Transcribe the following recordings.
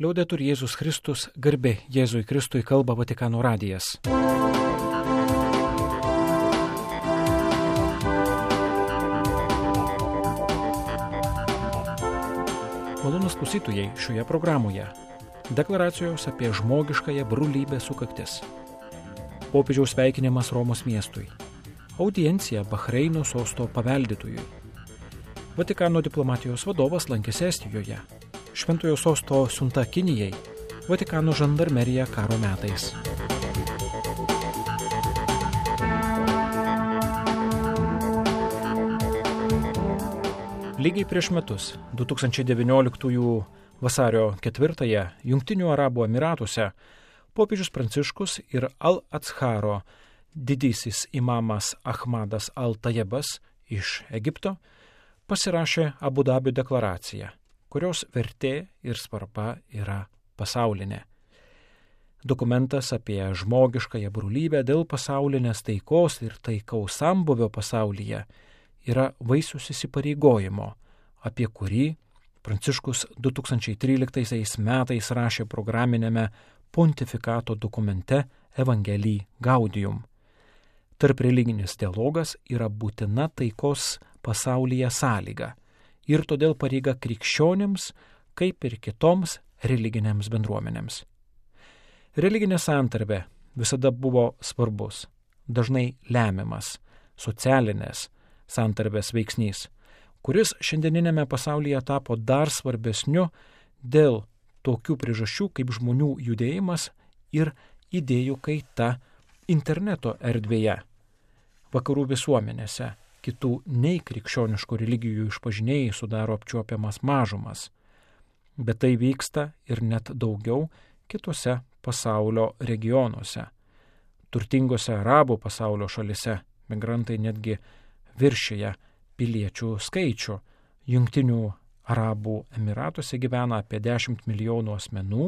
Liaudetur Jėzus Kristus, garbė Jėzui Kristui, kalba Vatikano radijas. Malonūs klausytojai, šioje programoje deklaracijos apie žmogiškąją brolybę sukaktis, popiežiaus sveikinimas Romos miestui, audiencija Bahreino sosto paveldėtojui, Vatikano diplomatijos vadovas lankėsi Estijoje, Šventojo sosto siunta Kinijai, Vatikano žandarmerija karo metais. Lygiai prieš metus, 2019 vasario 4-ąją, Jungtinių Arabų Emyratuose, popiežius Pranciškus ir Al-Azharo didysis imamas Ahmadas Al-Tajebas iš Egipto pasirašė Abu Dabio deklaraciją, kurios vertė ir svarba yra pasaulinė. Dokumentas apie žmogiškąją brolybę dėl pasaulinės taikos ir taikaus sambūvio pasaulyje yra vaisius įsipareigojimo, apie kurį Pranciškus 2013 metais rašė programinėme pontifikato dokumente Evangelii Gaudium. Tarp religinis dialogas yra būtina taikos pasaulyje sąlyga ir todėl pareiga krikščionims, kaip ir kitoms religinėms bendruomenėms. Religinė santarvė visada buvo svarbus, dažnai lemiamas socialinės santarvės veiksnys, kuris šiandieninėme pasaulyje tapo dar svarbesniu dėl tokių priežasčių kaip žmonių judėjimas ir idėjų kaita interneto erdvėje. Vakarų visuomenėse kitų nei krikščioniškų religijų išpažinėjai sudaro apčiuopiamas mažumas, bet tai vyksta ir net daugiau kitose pasaulio regionuose. Turtingose arabų pasaulio šalise migrantai netgi viršyje piliečių skaičių. Jungtinių Arabų Emyratuose gyvena apie 10 milijonų asmenų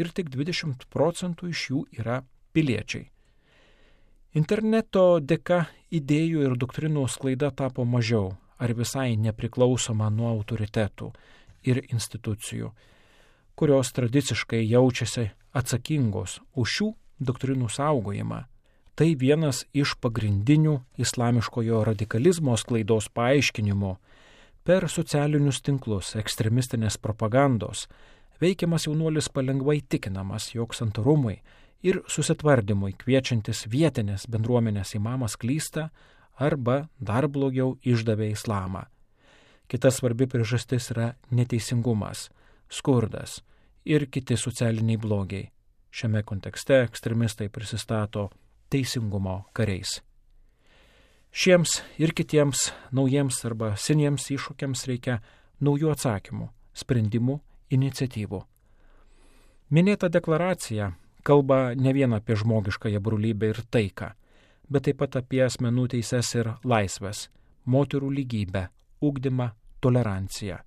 ir tik 20% iš jų yra piliečiai. Interneto dėka idėjų ir doktrinų sklaida tapo mažiau ar visai nepriklausoma nuo autoritetų ir institucijų, kurios tradiciškai jaučiasi atsakingos už šių doktrinų saugojimą. Tai vienas iš pagrindinių islamiškojo radikalizmo sklaidos paaiškinimų. Per socialinius tinklus ekstremistinės propagandos veikiamas jaunuolis palengvai tikinamas, jog santarumui ir susitvardymui kviečiantis vietinės bendruomenės imamas klysta arba dar blogiau išdavė islamą. Kita svarbi priežastis yra neteisingumas, skurdas ir kiti socialiniai blogiai. Šiame kontekste ekstremistai prisistato teisingumo kariais. Šiems ir kitiems naujiems arba seniems iššūkiams reikia naujų atsakymų, sprendimų, iniciatyvų. Minėta deklaracija kalba ne vien apie žmogiškąją brolybę ir taiką, bet taip pat apie asmenų teises ir laisves, moterų lygybę, ugdymą, toleranciją.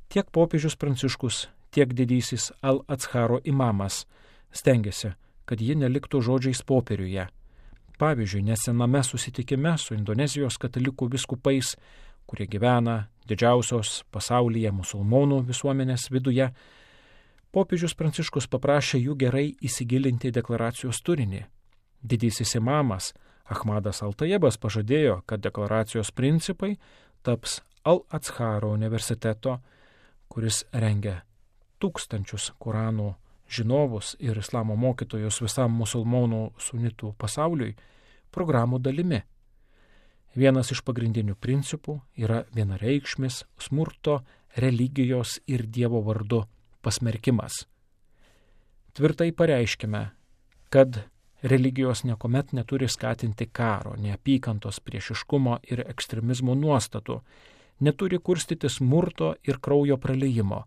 Tiek popiežius Pranciškus, tiek didysis Al-Azharo imamas stengiasi, kad ji neliktų žodžiais popieriuje. Pavyzdžiui, nesename susitikime su Indonezijos katalikų vyskupais, kurie gyvena didžiausios pasaulyje musulmonų visuomenės viduje, popiežius Pranciškus paprašė jų gerai įsigilinti deklaracijos turinį. Didysis imamas Ahmadas Al-Tajebas pažadėjo, kad deklaracijos principai taps Al-Azharo universiteto, kuris rengia tūkstančius Koranų žinovus ir islamo mokytojus visam musulmonų sunitų pasauliui, programų dalimi. Vienas iš pagrindinių principų yra vienareikšmis smurto, religijos ir Dievo vardu pasmerkimas. Tvirtai pareiškime, kad religijos niekuomet neturi skatinti karo, neapykantos, priešiškumo ir ekstremizmo nuostatų, neturi kurstyti smurto ir kraujo praliejimo.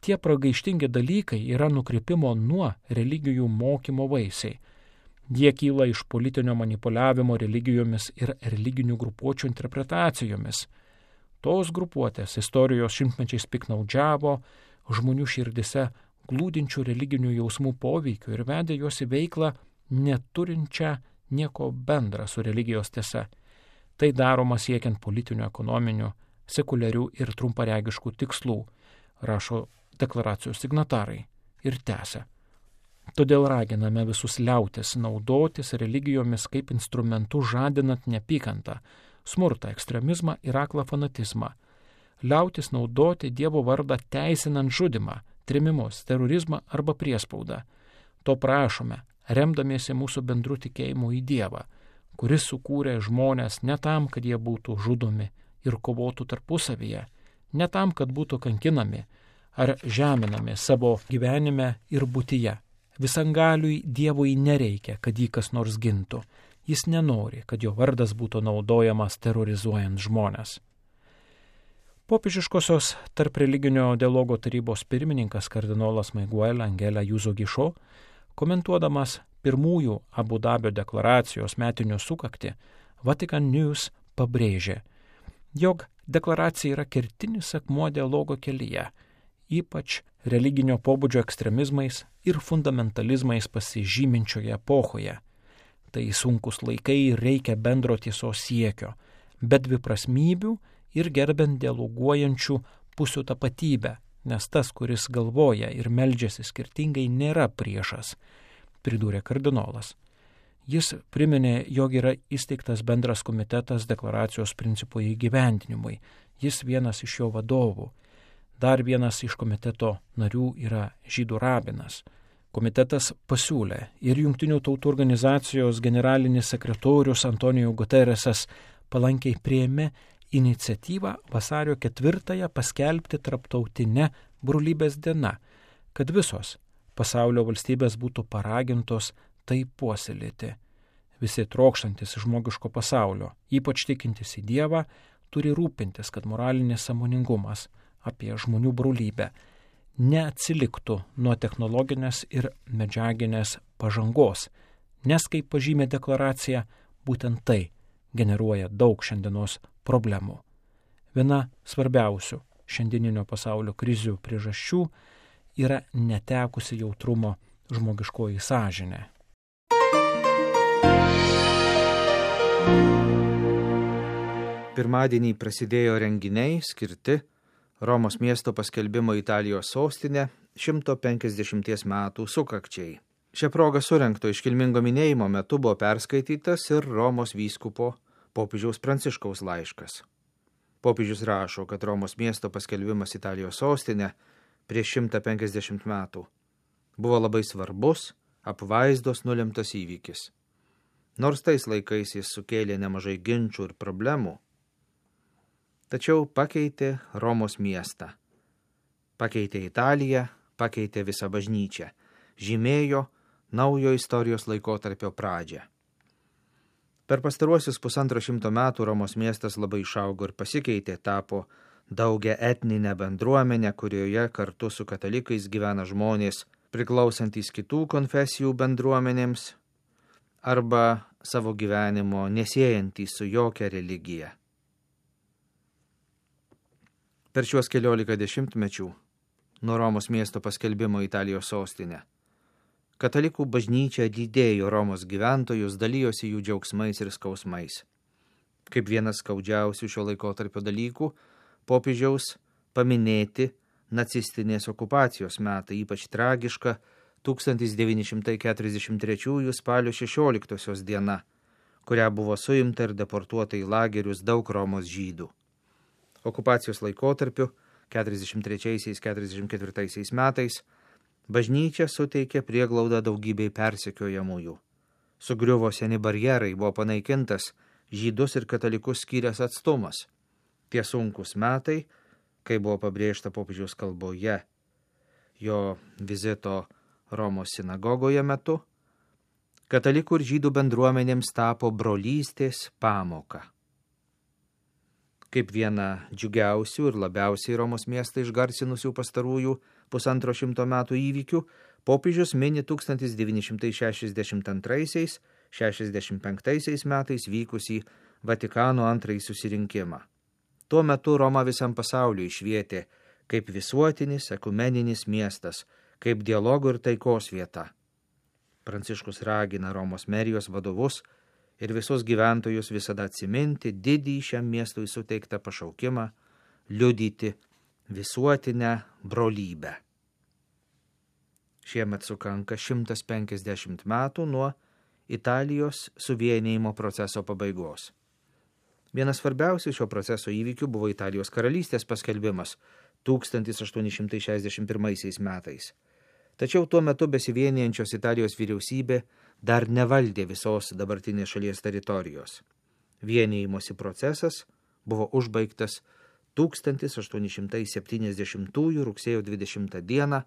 Tie pragaištingi dalykai yra nukrypimo nuo religijų mokymo vaisiai. Jie kyla iš politinio manipuliavimo religijomis ir religinių grupuočių interpretacijomis. Tos grupuotės istorijos šimtmečiais piknaudžiavo žmonių širdise glūdinčių religinių jausmų poveikių ir vedė juos į veiklą neturinčią nieko bendra su religijos tiesa. Tai daroma siekiant politinių, ekonominių, sekuliarių ir trumparegiškų tikslų, rašo deklaracijos signatarai ir tęsia. Todėl raginame visus liautis naudotis religijomis kaip instrumentu žadinant neapykantą, smurtą, ekstremizmą ir aklą fanatizmą. Liautis naudoti Dievo vardą teisinant žudimą, trėmimus, terorizmą arba priespaudą. To prašome, remdamiesi mūsų bendru tikėjimu į Dievą, kuris sukūrė žmonės ne tam, kad jie būtų žudomi ir kovotų tarpusavyje, ne tam, kad būtų kankinami ar žeminami savo gyvenime ir būtyje. Visangaliui Dievui nereikia, kad jį kas nors gintų. Jis nenori, kad jo vardas būtų naudojamas terrorizuojant žmones. Popiežiškosios tarp religinio dialogo tarybos pirmininkas kardinolas Miguel Angel Ayuso Gišo, komentuodamas pirmųjų Abu Dabio deklaracijos metinių sukaktį, Vatican News pabrėžė, jog deklaracija yra kertinis akmuo dialogo kelyje, ypač religinio pobūdžio ekstremizmais ir fundamentalizmais pasižyminčioje epochoje. Tai sunkus laikai ir reikia bendro tiesos siekio, bet dviprasmybių ir gerbent dialoguojančių pusių tapatybę, nes tas, kuris galvoja ir meldžiasi skirtingai, nėra priešas, pridūrė kardinolas. Jis priminė, jog yra įsteigtas bendras komitetas deklaracijos principų įgyvendinimui. Jis vienas iš jo vadovų. Dar vienas iš komiteto narių yra žydų rabinas. Komitetas pasiūlė ir Jungtinių tautų organizacijos generalinis sekretorius Antonio Guterresas palankiai priėmė iniciatyvą vasario 4 paskelbti tarptautinę brolybės diena, kad visos pasaulio valstybės būtų paragintos tai puoselėti. Visi trokštantis žmogiško pasaulio, ypač tikintis į Dievą, turi rūpintis, kad moralinis sąmoningumas apie žmonių brolybę neatsiliktų nuo technologinės ir medžiaginės pažangos, nes, kaip pažymė deklaracija, būtent tai generuoja daug šiandienos problemų. Viena svarbiausių šiandieninio pasaulio krizių priežasčių yra netekusi jautrumo žmogiškoji sąžinė. Pirmadienį prasidėjo renginiai skirti Romos miesto paskelbimo Italijos sostinė 150 metų sukakčiai. Šią progą surengto iškilmingo minėjimo metu buvo perskaitytas ir Romos vyskupo popiežiaus Pranciškaus laiškas. Popiežius rašo, kad Romos miesto paskelbimas Italijos sostinė prieš 150 metų buvo labai svarbus, apvaizdos nulemtas įvykis. Nors tais laikais jis sukėlė nemažai ginčų ir problemų, tačiau pakeitė Romos miestą. Pakeitė Italiją, pakeitė visą bažnyčią, žymėjo naujo istorijos laikotarpio pradžią. Per pastaruosius 150 metų Romos miestas labai išaugo ir pasikeitė, tapo daugia etninę bendruomenę, kurioje kartu su katalikais gyvena žmonės priklausantys kitų konfesijų bendruomenėms arba savo gyvenimo nesiejantys su jokia religija. Per šiuos 14 dešimtmečių nuo Romos miesto paskelbimo Italijos sostinė katalikų bažnyčia lydėjo Romos gyventojus, dalijosi jų džiaugsmais ir skausmais. Kaip vienas skaudžiausių šio laikotarpio dalykų, popiežiaus paminėti nacistinės okupacijos metai, ypač tragiška 1943 spalio 16 diena, kurią buvo suimta ir deportuota į lagerius daug Romos žydų. Okupacijos laikotarpiu 43-44 metais bažnyčia suteikė prieglaudą daugybei persekiojamųjų. Sugriuvo seni barjerai, buvo panaikintas žydus ir katalikus skyręs atstumas. Tie sunkus metai, kai buvo pabrėžta popiežiaus kalboje jo vizito Romos sinagogoje metu, katalikų ir žydų bendruomenėms tapo brolystės pamoka. Kaip viena džiugiausių ir labiausiai Romos miestą išgarsinusių pastarųjų 150 metų įvykių, popiežius mini 1962-65 metais vykusį Vatikano antrąjį susirinkimą. Tuo metu Roma visam pasauliu išvietė kaip visuotinis ekumeninis miestas, kaip dialogo ir taikos vieta. Pranciškus ragina Romos merijos vadovus ir visus gyventojus visada atsiminti didįjį šiam miestui suteiktą pašaukimą, liudyti visuotinę brolybę. Šiemet sukanka 150 metų nuo Italijos suvienijimo proceso pabaigos. Vienas svarbiausių šio proceso įvykių buvo Italijos karalystės paskelbimas 1861 metais. Tačiau tuo metu besivienijančios Italijos vyriausybė dar nevaldė visos dabartinės šalies teritorijos. Vienijimosi procesas buvo užbaigtas 1870 rugsėjo 20 dieną,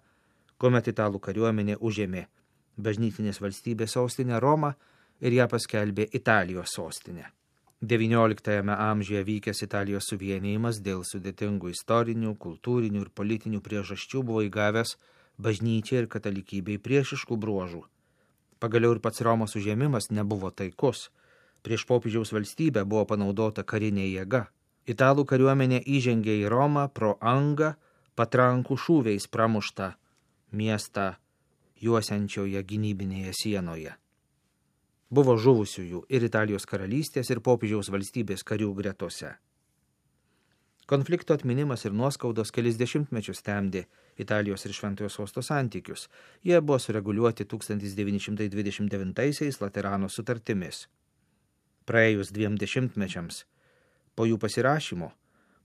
kuomet italų kariuomenė užėmė bažnytinės valstybės sostinę Romą ir ją paskelbė Italijos sostinę. XIX amžiuje vykęs Italijos suvienijimas dėl sudėtingų istorinių, kultūrinių ir politinių priežasčių buvo įgavęs bažnyčiai ir katalikybei priešiškų bruožų. Pagaliau ir pats Romos užėmimas nebuvo taikus. Prieš popiežiaus valstybę buvo panaudota karinė jėga. Italų kariuomenė įžengė į Romą pro angą, patrankų šūviais pramuštą miestą juosiančioje gynybinėje sienoje. Buvo žuvusiųjų ir Italijos karalystės ir popiežiaus valstybės karių gretose. Konflikto atminimas ir nuoskaudos kelis dešimtmečius temdė Italijos ir Šventojo Sosto santykius. Jie buvo sureguliuoti 1929 Laterano sutartimis. Praėjus 2 dešimtmečiams po jų pasirašymo,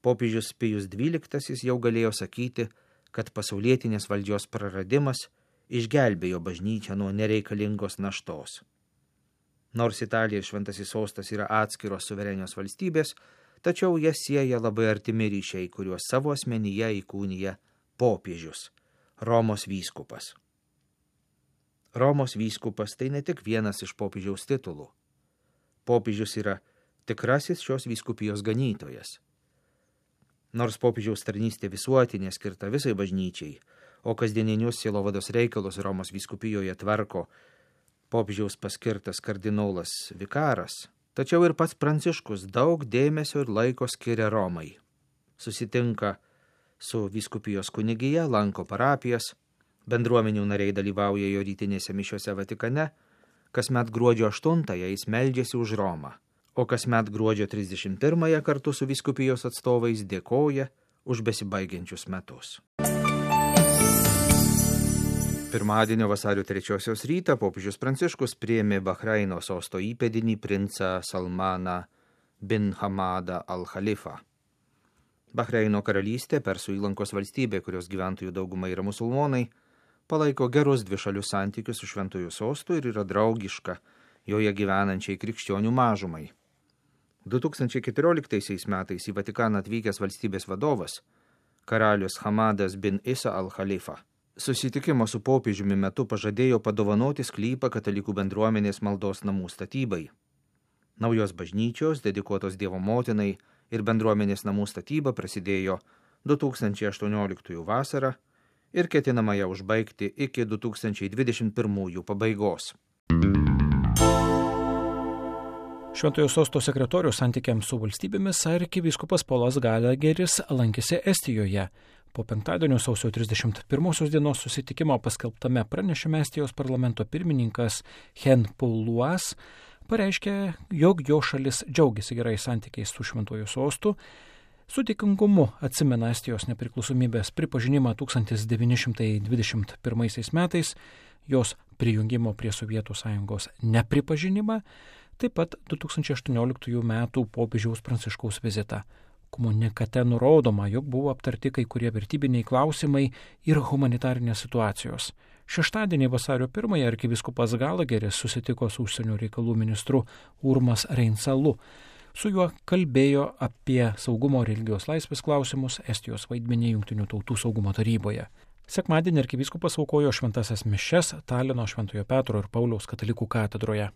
popiežius Pijus XII jau galėjo sakyti, kad pasaulietinės valdžios praradimas išgelbėjo bažnyčią nuo nereikalingos naštos. Nors Italija ir Šventasis Sostas yra atskiros suverenios valstybės, tačiau jas sieja labai artimi ryšiai, kuriuos savo asmenyje įkūnija popiežius, Romos vyskupas. Romos vyskupas tai ne tik vienas iš popiežiaus titulų. Popiežius yra tikrasis šios vyskupijos ganytojas. Nors popiežiaus tarnystė visuotinė skirta visai bažnyčiai, o kasdieninius sielovados reikalus Romos vyskupijoje tvarko popiežiaus paskirtas kardinolas vikaras, tačiau ir pats Pranciškus daug dėmesio ir laiko skiria Romai. Susitinka su vyskupijos kunigija, lanko parapijas, bendruomenių nariai dalyvauja jo rytinėse mišiose Vatikane, kasmet gruodžio 8-ąją jis meldžiasi už Romą, o kasmet gruodžio 31-ąją kartu su vyskupijos atstovais dėkoja už besibaigiančius metus. Pirmadienio vasario 3 rytą popiežius Pranciškus priėmė Bahreino sosto įpėdinį princą Salmaną bin Hamadą al-Khalifą. Bahreino karalystė, Persų įlankos valstybė, kurios gyventojų dauguma yra musulmonai, palaiko gerus dvišalius santykius su Šventuoju Sostu ir yra draugiška joje gyvenančiai krikščionių mažumai. 2014 metais į Vatikaną atvykęs valstybės vadovas, karalius Hamadas bin Isa al-Khalifa, susitikimo su popiežiumi metu pažadėjo padovanoti sklypą katalikų bendruomenės maldos namų statybai. Naujos bažnyčios, dedikuotos Dievo motinai ir bendruomenės namų statyba prasidėjo 2018 vasarą ir ketinama ją užbaigti iki 2021 pabaigos. Šventojo Sosto sekretoriaus santykiams su valstybėmis arkivyskupas Polas Galageris lankėsi Estijoje. Po penktadienio sausio 31 dienos susitikimo paskelbtame pranešime Estijos parlamento pirmininkas Hen Pauluas pareiškė, jog jo šalis džiaugiasi gerais santykiais su Šventuoju Sostu, su dėkingumu atsimena Estijos nepriklausomybės pripažinimą 1921 metais, jos prijungimo prie Sovietų Sąjungos nepripažinimą, taip pat 2018 metų popiežiaus Pranciškaus vizitą. Komunikate nurodoma, jog buvo aptarti kai kurie vertybiniai klausimai ir humanitarinės situacijos. Šeštadienį vasario 1 arkivyskupas Galageris susitiko su užsienio reikalų ministru Urmas Reinsalu. Su juo kalbėjo apie saugumo ir religijos laisvės klausimus, Estijos vaidmenį Jungtinių tautų saugumo taryboje. Sekmadienį arkivyskupas aukojo šventasias mišias Talino Šventojo Petro ir Pauliaus katalikų katedroje.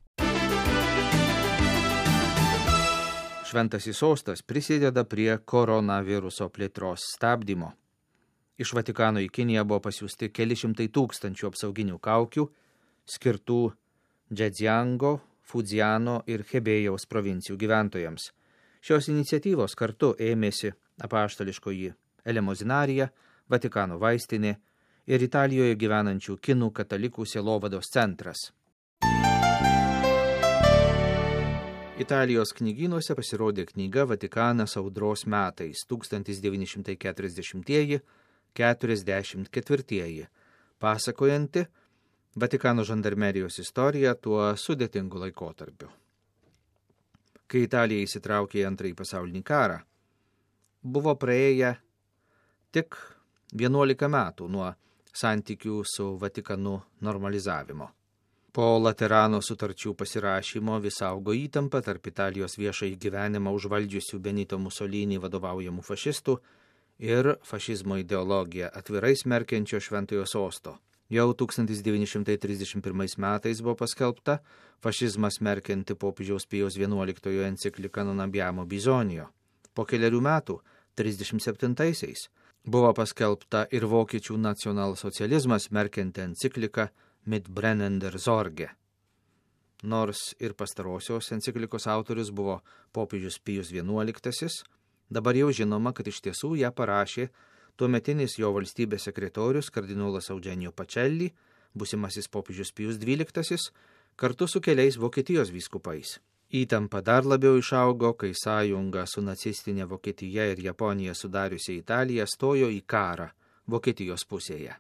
Šventasis Sostas prisideda prie koronaviruso plėtros stabdymo. Iš Vatikano į Kiniją buvo pasiųsti keli šimtai tūkstančių apsauginių kaukių, skirtų Džedziango, Fudziano ir Hebėjaus provincijų gyventojams. Šios iniciatyvos kartu ėmėsi apaštališkoji Elemozinarija, Vatikano vaistinė ir Italijoje gyvenančių kinų katalikų sielovados centras. Italijos knygynuose pasirodė knyga Vatikanas audros metais 1940–44, pasakojanti Vatikano žandarmerijos istoriją tuo sudėtingu laikotarpiu. Kai Italija įsitraukė į Antrąjį pasaulinį karą, buvo praėję tik 11 metų nuo santykių su Vatikanu normalizavimo. Po Laterano sutarčių pasirašymo vis augo įtampa tarp Italijos viešąjį gyvenimą užvaldžiusių Benito Mussolini vadovaujamų fašistų ir fašizmo ideologiją atvirai smerkiančio Šventojo sosto. Jau 1931 metais buvo paskelbta fašizmą smerkianti popiežiaus Pijaus XI enciklika Non abbiamo bisogno. Po keliarių metų, 37-aisiais, buvo paskelbta ir vokiečių nacionalsocializmą smerkianti enciklika Mit brennender Sorge. Nors ir pastarosios enciklikos autorius buvo popiežius Pijus XI, dabar jau žinoma, kad iš tiesų ją parašė tuometinis jo valstybės sekretorius kardinolas Eugenio Pacelli, būsimasis popiežius Pijus XII, kartu su keliais Vokietijos vyskupais. Įtampa dar labiau išaugo, kai sąjunga su nacistinė Vokietija ir Japonija sudariusi Italiją stojo į karą Vokietijos pusėje.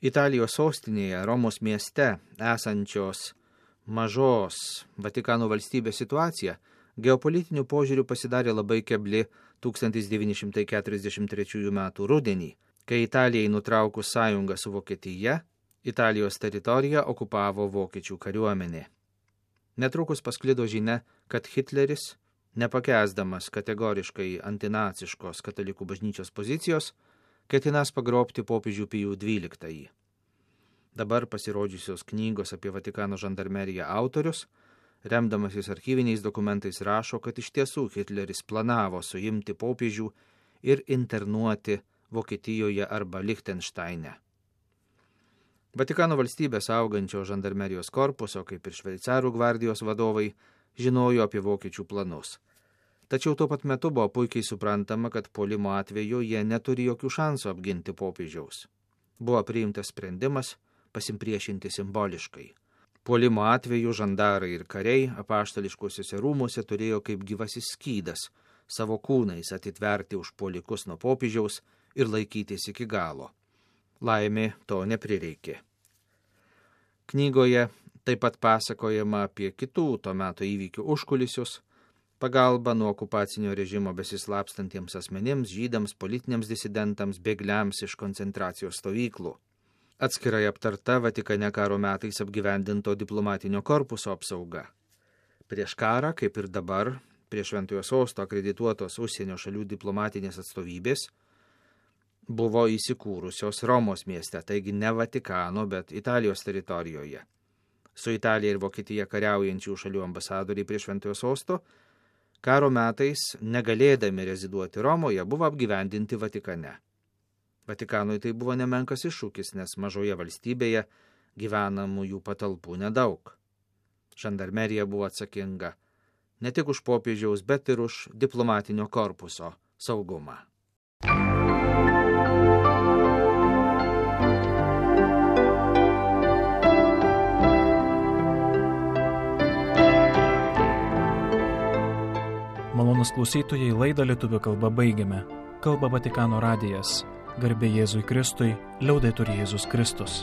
Italijos sostinėje, Romos mieste, esančios mažos Vatikano valstybės situacija geopolitiniu požiūriu pasidarė labai kebli 1943 metų rudenį, kai Italijai nutraukus sąjungą su Vokietija, Italijos teritoriją okupavo vokiečių kariuomenė. Netrukus pasklido žinia, kad Hitleris, nepakęsdamas kategoriškai antinaciškos katalikų bažnyčios pozicijos, ketinas pagrobti popiežių Pijų XII. Dabar pasirodžiusios knygos apie Vatikano žandarmeriją autorius, remdamasis archyviniais dokumentais, rašo, kad iš tiesų Hitleris planavo suimti popiežių ir internuoti Vokietijoje arba Lichtensteine. Vatikano valstybės augančio žandarmerijos korpuso, kaip ir šveicarų gvardijos vadovai, žinojo apie vokiečių planus. Tačiau tuo pat metu buvo puikiai suprantama, kad puolimo atveju jie neturi jokių šansų apginti popiežiaus. Buvo priimtas sprendimas pasimpriešinti simboliškai. Puolimo atveju žandarai ir kariai apaštališkuosiuose rūmuose turėjo kaip gyvasis skydas savo kūnais atitverti užpuolikus nuo popiežiaus ir laikytis iki galo. Laimė to neprireikė. Knygoje taip pat pasakojama apie kitų to meto įvykių užkulisius, pagalba nuo okupacinio režimo besislapstantiems asmenims, žydams, politiniams disidentams, bėgliams iš koncentracijos stovyklų. Atskirai aptarta Vatikane karo metais apgyvendinto diplomatinio korpuso apsauga. Prieš karą, kaip ir dabar, prie Šventojo sosto akredituotos užsienio šalių diplomatinės atstovybės buvo įsikūrusios Romos mieste, taigi ne Vatikano, bet Italijos teritorijoje. Su Italija ir Vokietija kariaujančių šalių ambasadoriai prie Šventojo sosto karo metais, negalėdami reziduoti Romoje, buvo apgyvendinti Vatikane. Vatikanui tai buvo nemenkas iššūkis, nes mažoje valstybėje gyvenamųjų patalpų nedaug. Žandarmerija buvo atsakinga ne tik už popiežiaus, bet ir už diplomatinio korpuso saugumą. Malonūs klausytojai, laidą lietuvių kalba baigiame. Kalba Vatikano radijas. Garbė Jėzui Kristui, liaudetur Jėzus Kristus.